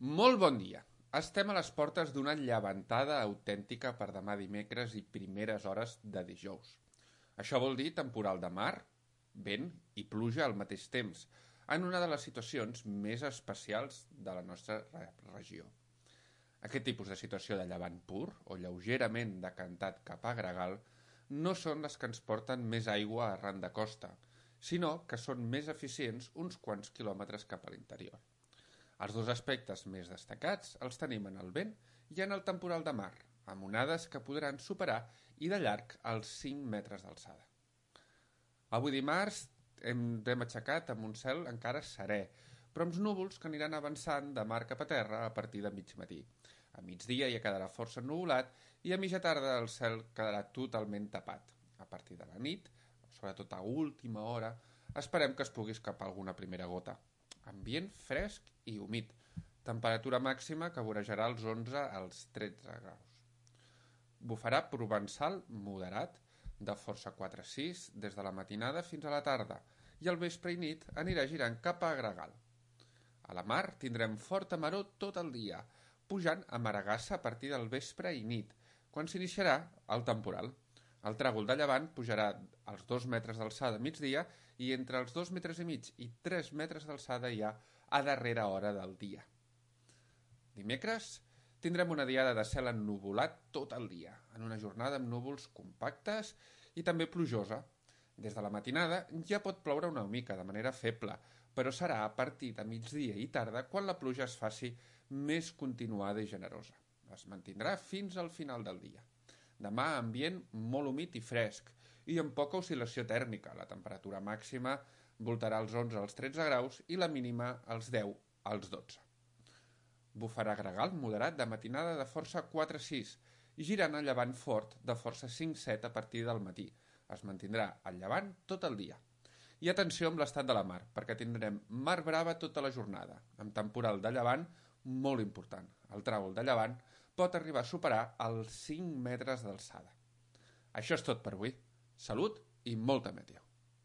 Molt bon dia. Estem a les portes d'una llevantada autèntica per demà dimecres i primeres hores de dijous. Això vol dir temporal de mar, vent i pluja al mateix temps, en una de les situacions més especials de la nostra regió. Aquest tipus de situació de llevant pur, o lleugerament decantat cap a gregal, no són les que ens porten més aigua arran de costa, sinó que són més eficients uns quants quilòmetres cap a l'interior. Els dos aspectes més destacats els tenim en el vent i en el temporal de mar, amb onades que podran superar i de llarg els 5 metres d'alçada. Avui dimarts hem aixecat amb un cel encara serè, però amb núvols que aniran avançant de mar cap a terra a partir de mig matí. A migdia ja quedarà força ennuvolat i a mitja tarda el cel quedarà totalment tapat. A partir de la nit, sobretot a última hora, esperem que es pugui escapar alguna primera gota. Ambient fresc i humit, temperatura màxima que vorejarà els 11 als 13 graus. Bufarà provençal moderat, de força 4-6 des de la matinada fins a la tarda, i al vespre i nit anirà girant cap a gregal. A la mar tindrem forta maror tot el dia, pujant a Maragassa a partir del vespre i nit, quan s'iniciarà el temporal. El tràgol de llevant pujarà als 2 metres d'alçada a migdia i entre els 2 metres i mig i 3 metres d'alçada ja a darrera hora del dia. Dimecres tindrem una diada de cel ennuvolat tot el dia, en una jornada amb núvols compactes i també plujosa. Des de la matinada ja pot ploure una mica de manera feble, però serà a partir de migdia i tarda quan la pluja es faci més continuada i generosa. Es mantindrà fins al final del dia. Demà ambient molt humit i fresc i amb poca oscil·lació tèrmica. La temperatura màxima voltarà als 11 als 13 graus i la mínima als 10 als 12. Bufarà gregal moderat de matinada de força 4-6 i girant a llevant fort de força 5-7 a partir del matí. Es mantindrà al llevant tot el dia. I atenció amb l'estat de la mar, perquè tindrem mar brava tota la jornada, amb temporal de llevant molt important. El tràgol de llevant pot arribar a superar els 5 metres d'alçada. Això és tot per avui. Salut i molta meteo.